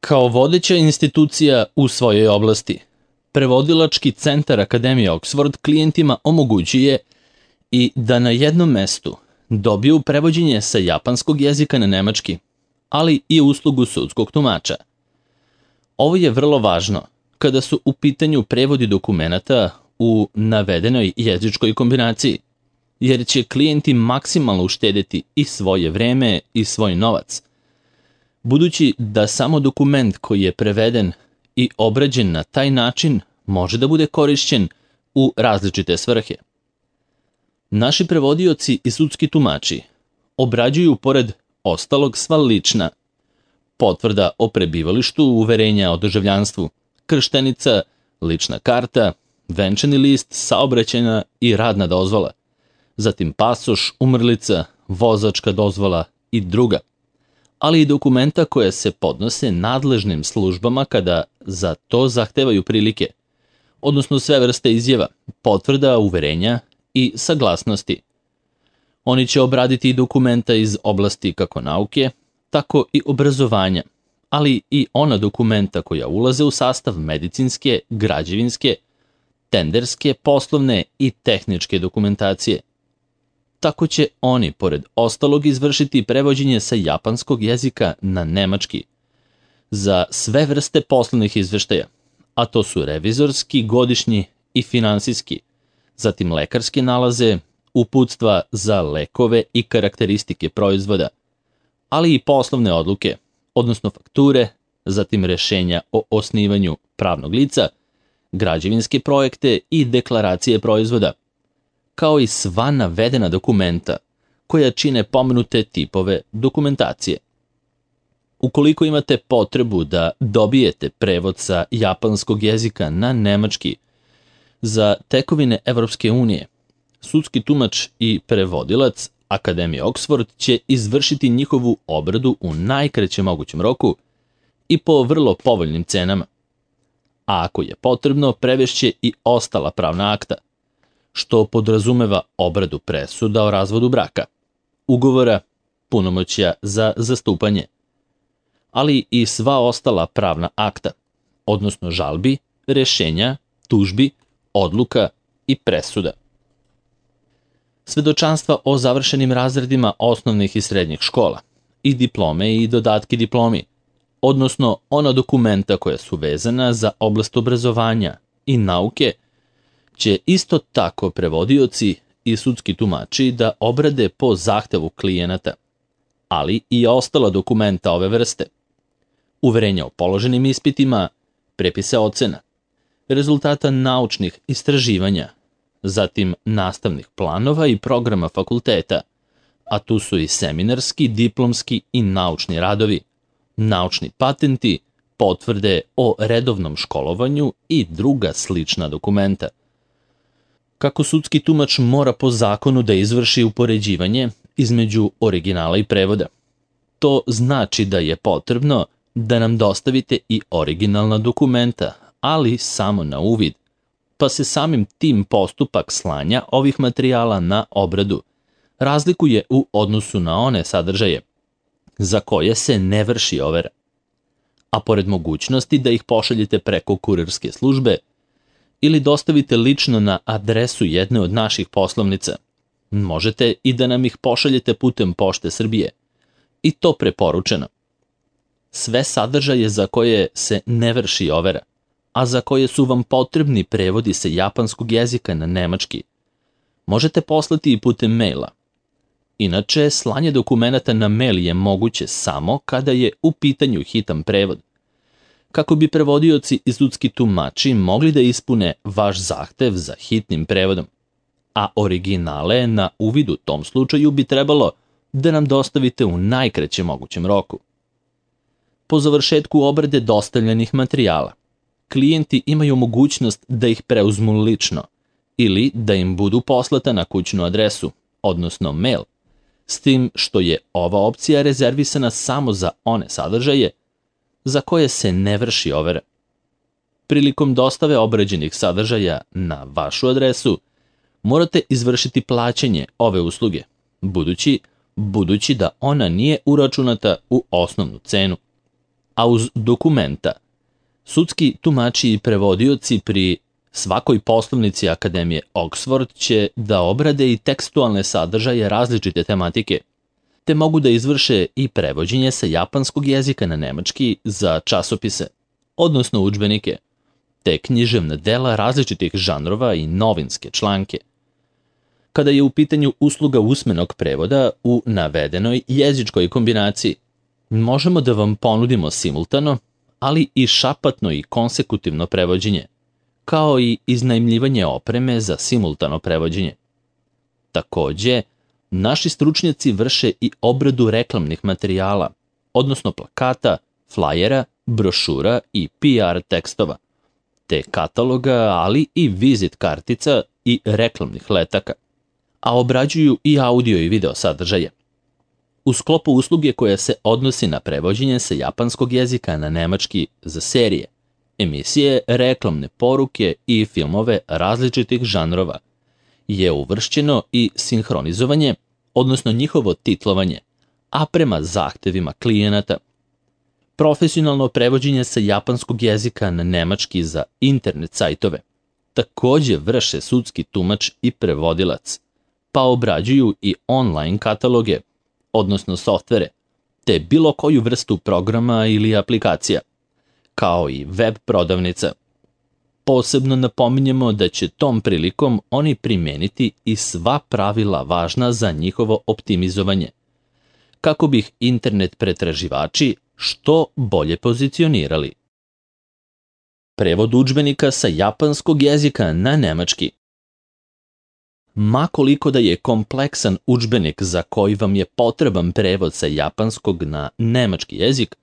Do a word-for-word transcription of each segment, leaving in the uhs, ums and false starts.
Kao vodeća institucija u svojoj oblasti, prevodilački centar Akademije Oxford klijentima omogućuje i da na jednom mestu dobiju prevođenje sa japanskog jezika na nemački, ali i uslugu sudskog tumača. Ovo je vrlo važno kada su u pitanju prevodi dokumenata u navedenoj jezičkoj kombinaciji, jer će klijenti maksimalno uštedeti i svoje vreme i svoj novac, budući da samo dokument koji je preveden i obrađen na taj način može da bude korišćen u različite svrhe. Naši prevodioci i sudski tumači obrađuju pored ostalog sva lična: potvrda o prebivalištu, uverenja o državljanstvu, krštenica, lična karta, venčani list, saobraćajna i radna dozvola, zatim pasoš, umrlica, vozačka dozvola i druga, ali i dokumenta koje se podnose nadležnim službama kada za to zahtevaju prilike, odnosno sve vrste izjava, potvrda, uverenja i saglasnosti. Oni će obraditi i dokumenta iz oblasti kako nauke, tako i obrazovanja, ali i ona dokumenta koja ulaze u sastav medicinske, građevinske, tenderske, poslovne i tehničke dokumentacije. Tako će oni, pored ostalog, izvršiti prevođenje sa japanskog jezika na nemački za sve vrste poslovnih izveštaja, a to su revizorski, godišnji i finansijski, zatim lekarske nalaze, uputstva za lekove i karakteristike proizvoda, ali i poslovne odluke, odnosno fakture, zatim rešenja o osnivanju pravnog lica, građevinske projekte i deklaracije proizvoda, kao i sva navedena dokumenta koja čine pomenute tipove dokumentacije. Ukoliko imate potrebu da dobijete prevod sa japanskog jezika na nemački za tekovine Evropske unije, sudski tumač i prevodilac Akademije Oxford će izvršiti njihovu obradu u najkraćem mogućem roku i po vrlo povoljnim cenama. A ako je potrebno, prevešće i ostala pravna akta, što podrazumeva obradu presuda o razvodu braka, ugovora, punomoćja za zastupanje, ali i sva ostala pravna akta, odnosno žalbi, rešenja, tužbi, odluka i presuda. Svedočanstva o završenim razredima osnovnih i srednjih škola i diplome i dodatki diplomi, odnosno ona dokumenta koja su vezana za oblast obrazovanja i nauke, će isto tako prevodioci i sudski tumači da obrade po zahtevu klijenata, ali i ostala dokumenta ove vrste: uverenja o položenim ispitima, prepise ocena, rezultata naučnih istraživanja, zatim nastavnih planova i programa fakulteta, a tu su i seminarski, diplomski i naučni radovi, naučni patenti, potvrde o redovnom školovanju i druga slična dokumenta. Kako sudski tumač mora po zakonu da izvrši upoređivanje između originala i prevoda. To znači da je potrebno da nam dostavite i originalna dokumenta, ali samo na uvid, pa se samim tim postupak slanja ovih materijala na obradu razlikuje u odnosu na one sadržaje za koje se ne vrši overa. A pored mogućnosti da ih pošaljete preko kurirske službe ili dostavite lično na adresu jedne od naših poslovnica, možete i da nam ih pošaljete putem Pošte Srbije, i to preporučeno. Sve sadržaje za koje se ne vrši overa, a za koje su vam potrebni prevodi sa japanskog jezika na nemački, možete poslati i putem maila. Inače, slanje dokumenata na mail je moguće samo kada je u pitanju hitan prevod, kako bi prevodioci i sudski tumači mogli da ispune vaš zahtev za hitnim prevodom, a originale na uvid u tom slučaju bi trebalo da nam dostavite u najkraćem mogućem roku. Po završetku obrade dostavljenih materijala, klijenti imaju mogućnost da ih preuzmu lično ili da im budu poslata na kućnu adresu, odnosno mail, s tim što je ova opcija rezervisana samo za one sadržaje za koje se ne vrši overa. Prilikom dostave obrađenih sadržaja na vašu adresu, morate izvršiti plaćanje ove usluge, budući, budući da ona nije uračunata u osnovnu cenu. a uz dokumenta sudski tumači i prevodioci pri svakoj poslovnici Akademije Oxford će da obrade i tekstualne sadržaje različite tematike, te mogu da izvrše i prevođenje sa japanskog jezika na nemački za časopise, odnosno udžbenike, te književna dela različitih žanrova i novinske članke. Kada je u pitanju usluga usmenog prevoda u navedenoj jezičkoj kombinaciji, možemo da vam ponudimo simultano, ali i šapatno i konsekutivno prevođenje, kao i iznajmljivanje opreme za simultano prevođenje. Takođe, naši stručnjaci vrše i obradu reklamnih materijala, odnosno plakata, flajera, brošura i P R tekstova, te kataloga, ali i vizit kartica i reklamnih letaka, a obrađuju i audio i video sadržaje. U sklopu usluge koja se odnosi na prevođenje sa japanskog jezika na nemački za serije, emisije, reklamne poruke i filmove različitih žanrova, je uvršćeno i sinhronizovanje, odnosno njihovo titlovanje, a prema zahtevima klijenata. Profesionalno prevođenje sa japanskog jezika na nemački za internet sajtove takođe vrše sudski tumač i prevodilac, pa obrađuju i online kataloge, odnosno softvere, te bilo koju vrstu programa ili aplikacija, kao i web prodavnica. Posebno napominjemo da će tom prilikom oni primeniti i sva pravila važna za njihovo optimizovanje, kako bi ih internet pretraživači što bolje pozicionirali. Prevod udžbenika sa japanskog jezika na nemački. Ma koliko da je kompleksan udžbenik za koji vam je potreban prevod sa japanskog na nemački jezik,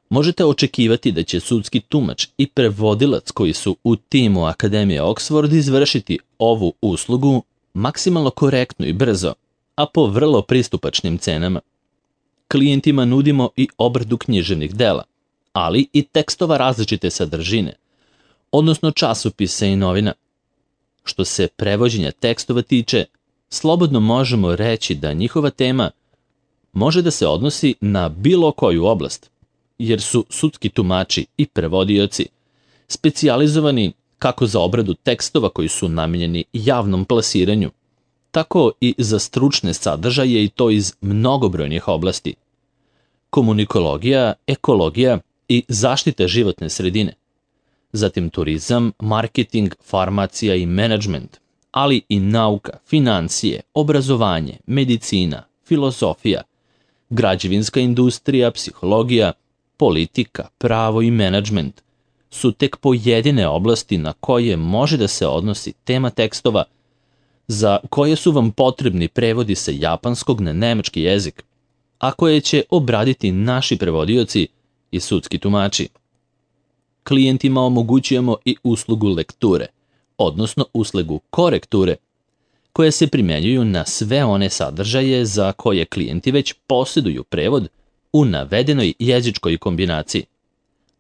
možete očekivati da će sudski tumač i prevodilac koji su u timu Akademije Oxford izvršiti ovu uslugu maksimalno korektno i brzo, a po vrlo pristupačnim cenama. Klijentima nudimo i obradu književnih dela, ali i tekstova različite sadržine, odnosno časopisa i novina. Što se prevođenja tekstova tiče, slobodno možemo reći da njihova tema može da se odnosi na bilo koju oblast, jer su sudski tumači i prevodioci specijalizovani kako za obradu tekstova koji su namenjeni javnom plasiranju, tako i za stručne sadržaje i to iz mnogobrojnih oblasti. Komunikologija, ekologija i zaštita životne sredine, zatim turizam, marketing, farmacija i menadžment, ali i nauka, financije, obrazovanje, medicina, filozofija, građevinska industrija, psihologija, politika, pravo i menadžment su tek pojedine oblasti na koje može da se odnosi tema tekstova za koje su vam potrebni prevodi sa japanskog na nemački jezik, a koje će obraditi naši prevodioci i sudski tumači. Klijentima omogućujemo i uslugu lekture, odnosno uslugu korekture, koje se primenjuju na sve one sadržaje za koje klijenti već posjeduju prevod u navedenoj jezičkoj kombinaciji,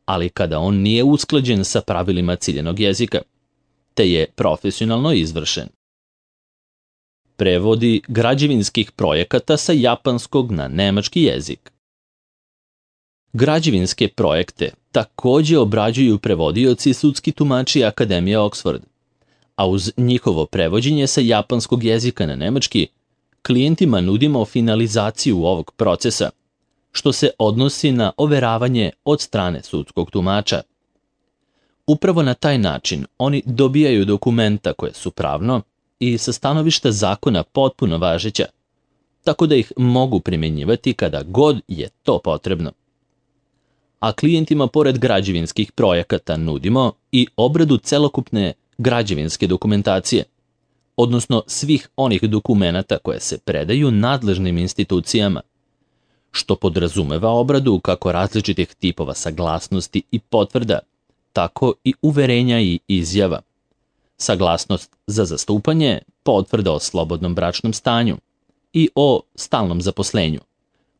ali kada on nije usklađen sa pravilima ciljenog jezika, te je profesionalno izvršen. Prevodi građevinskih projekata sa japanskog na nemački jezik. Građevinske projekte takođe obrađuju prevodioci i sudski tumači Akademije Oxford, a uz njihovo prevođenje sa japanskog jezika na nemački, klijentima nudimo finalizaciju ovog procesa, što se odnosi na overavanje od strane sudskog tumača. Upravo na taj način oni dobijaju dokumenta koje su pravno i sa stanovišta zakona potpuno važeća, tako da ih mogu primjenjivati kada god je to potrebno. A klijentima pored građevinskih projekata nudimo i obradu celokupne građevinske dokumentacije, odnosno svih onih dokumenata koje se predaju nadležnim institucijama, što podrazumeva obradu kako različitih tipova saglasnosti i potvrda, tako i uverenja i izjava. Saglasnost za zastupanje, potvrda o slobodnom bračnom stanju i o stalnom zaposlenju,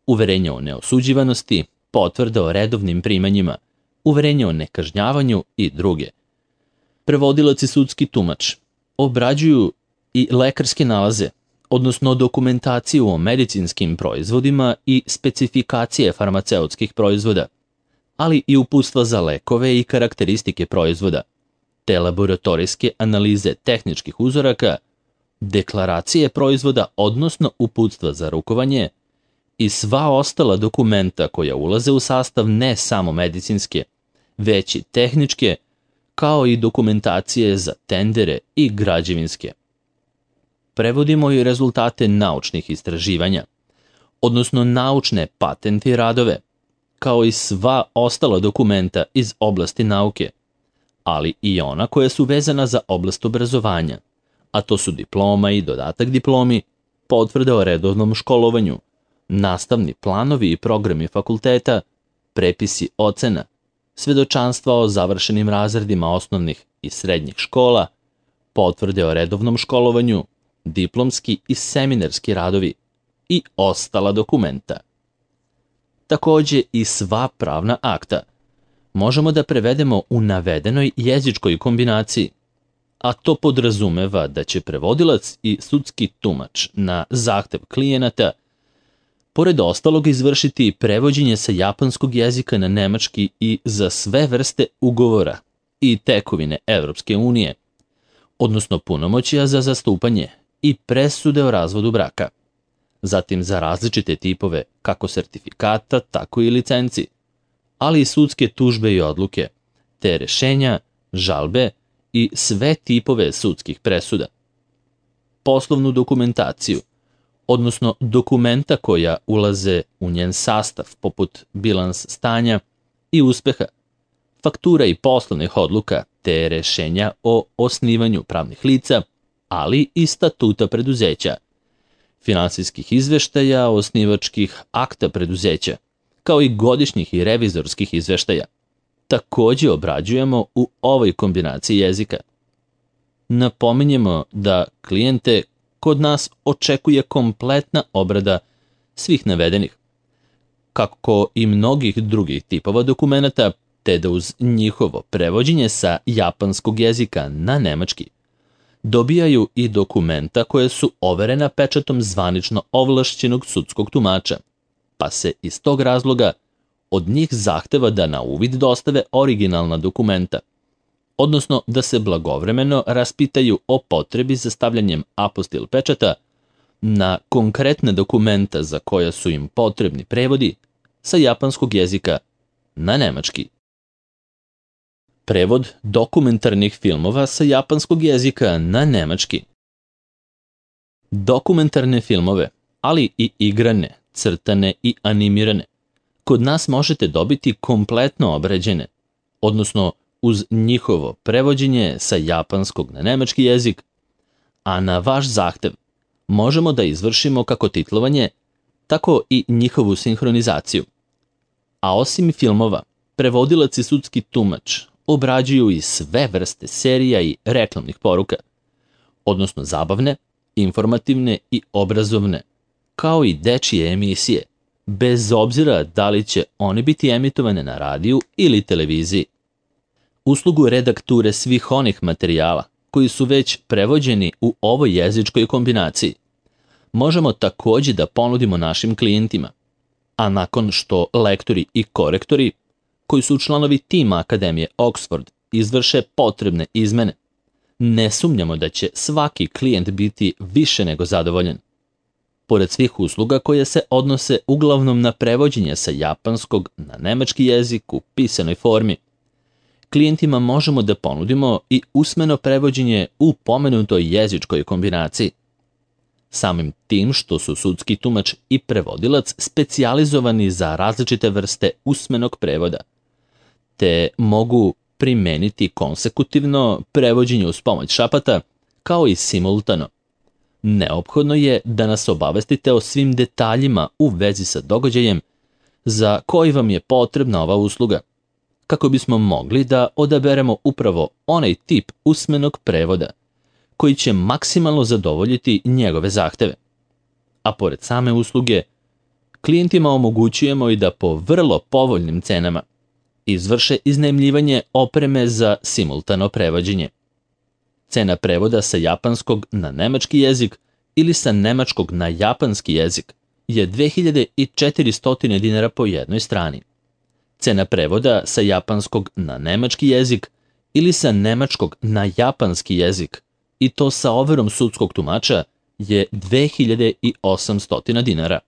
uverenje o neosuđivanosti, potvrda o redovnim primanjima, uverenje o nekažnjavanju i druge. Prevodilac i sudski tumač obrađuju i lekarske nalaze, odnosno dokumentaciju o medicinskim proizvodima i specifikacije farmaceutskih proizvoda, ali i uputstva za lekove i karakteristike proizvoda, te laboratorijske analize tehničkih uzoraka, deklaracije proizvoda, odnosno uputstva za rukovanje i sva ostala dokumenta koja ulaze u sastav ne samo medicinske, već i tehničke, kao i dokumentacije za tendere i građevinske. Prevodimo i rezultate naučnih istraživanja, odnosno naučne patente i radove, kao i sva ostala dokumenta iz oblasti nauke, ali i ona koja su vezana za oblast obrazovanja, a to su diploma i dodatak diplomi, potvrde o redovnom školovanju, nastavni planovi i programi fakulteta, prepisi ocena, svedočanstva o završenim razredima osnovnih i srednjih škola, potvrde o redovnom školovanju, diplomski i seminarski radovi i ostala dokumenta. Takođe i sva pravna akta možemo da prevedemo u navedenoj jezičkoj kombinaciji, a to podrazumeva da će prevodilac i sudski tumač na zahtev klijenata pored ostalog izvršiti prevođenje sa japanskog jezika na nemački i za sve vrste ugovora i tekovine Evropske unije, odnosno punomoćja za zastupanje i presude o razvodu braka, zatim za različite tipove kako sertifikata, tako i licenci, ali i sudske tužbe i odluke, te rešenja, žalbe i sve tipove sudskih presuda. Poslovnu dokumentaciju, odnosno dokumenta koja ulaze u njen sastav, poput bilans stanja i uspeha, faktura i poslovnih odluka, te rešenja o osnivanju pravnih lica, ali i statuta preduzeća, finansijskih izveštaja, osnivačkih akta preduzeća, kao i godišnjih i revizorskih izveštaja, takođe obrađujemo u ovoj kombinaciji jezika. Napominjemo da klijente kod nas očekuje kompletna obrada svih navedenih, kako i mnogih drugih tipova dokumenata, te da uz njihovo prevođenje sa japanskog jezika na nemački dobijaju i dokumenta koje su overena pečatom zvanično ovlašćenog sudskog tumača, pa se iz tog razloga od njih zahteva da na uvid dostave originalna dokumenta, odnosno da se blagovremeno raspitaju o potrebi za stavljanjem apostil pečata na konkretne dokumenta za koja su im potrebni prevodi sa japanskog jezika na nemački. Prevod dokumentarnih filmova sa japanskog jezika na nemački. Dokumentarne filmove, ali i igrane, crtane i animirane, kod nas možete dobiti kompletno obrađene, odnosno uz njihovo prevođenje sa japanskog na nemački jezik, a na vaš zahtev možemo da izvršimo kako titlovanje, tako i njihovu sinhronizaciju. A osim filmova, prevodilac i sudski tumač obrađuju i sve vrste serija i reklamnih poruka, odnosno zabavne, informativne i obrazovne, kao i dečije emisije, bez obzira da li će one biti emitovane na radiju ili televiziji. Uslugu redakture svih onih materijala koji su već prevođeni u ovoj jezičkoj kombinaciji možemo takođe da ponudimo našim klijentima, a nakon što lektori i korektori koji su članovi tima Akademije Oxford izvrše potrebne izmene, ne sumnjamo da će svaki klijent biti više nego zadovoljen. Pored svih usluga koje se odnose uglavnom na prevođenje sa japanskog na nemački jezik u pisanoj formi, klijentima možemo da ponudimo i usmeno prevođenje u pomenutoj jezičkoj kombinaciji. Samim tim što su sudski tumač i prevodilac specijalizovani za različite vrste usmenog prevoda, te mogu primeniti konsekutivno prevođenje uz pomoć šapata, kao i simultano. Neophodno je da nas obavestite o svim detaljima u vezi sa događajem za koji vam je potrebna ova usluga, kako bismo mogli da odaberemo upravo onaj tip usmenog prevoda koji će maksimalno zadovoljiti njegove zahteve. A pored same usluge, klijentima omogućujemo i da po vrlo povoljnim cenama izvrše iznajmljivanje opreme za simultano prevođenje. Cena prevoda sa japanskog na nemački jezik ili sa nemačkog na japanski jezik je dve hiljade četiristo dinara po jednoj strani. Cena prevoda sa japanskog na nemački jezik ili sa nemačkog na japanski jezik, i to sa overom sudskog tumača, je dve hiljade osamsto dinara.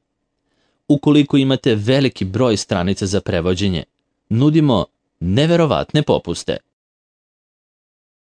Ukoliko imate veliki broj stranica za prevođenje, nudimo neverovatne popuste.